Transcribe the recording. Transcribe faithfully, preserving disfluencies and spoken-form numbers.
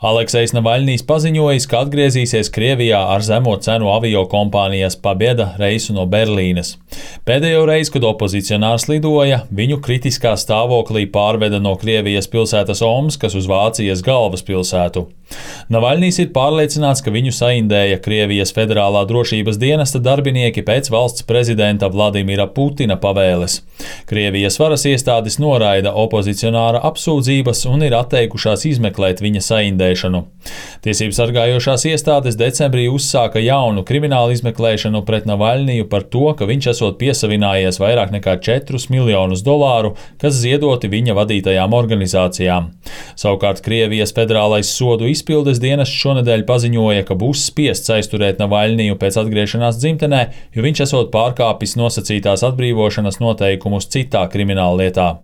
Aleksejs Navaļņijs paziņojis, ka atgriezīsies Krievijā ar zemo cenu aviokompānijas Pabeda reisu no Berlīnes. Pēdējo reizi, kad opozicionārs lidoja, viņu kritiskā stāvoklī pārveda no Krievijas pilsētas Omskas uz Vācijas galvaspilsētu. Navaļņijs ir pārliecināts, ka viņu saindēja Krievijas federālā drošības dienesta darbinieki pēc valsts prezidenta Vladimira Putina pavēles. Krievijas varas iestādes noraida opozicionāra apsūdzības un ir atteikušās izmeklēt viņa saindēšanu. Tiesības sargājošās iestādes decembrī uzsāka jaunu kriminālu izmeklēšanu pret Navaļņiju par to, ka viņš esot piesavinājies vairāk nekā četrus miljonus dolāru, kas ziedoti viņa vadītajām organizācijām. Savukārt Krievijas federālais sodu izpildes dienests šonedēļ paziņoja, ka būs spiests aizturēt Navaļņiju pēc atgriešanās dzimtenē, jo viņš esot pārkāpis nosacītās atbrīvošanas noteikumus citā krimināllietā.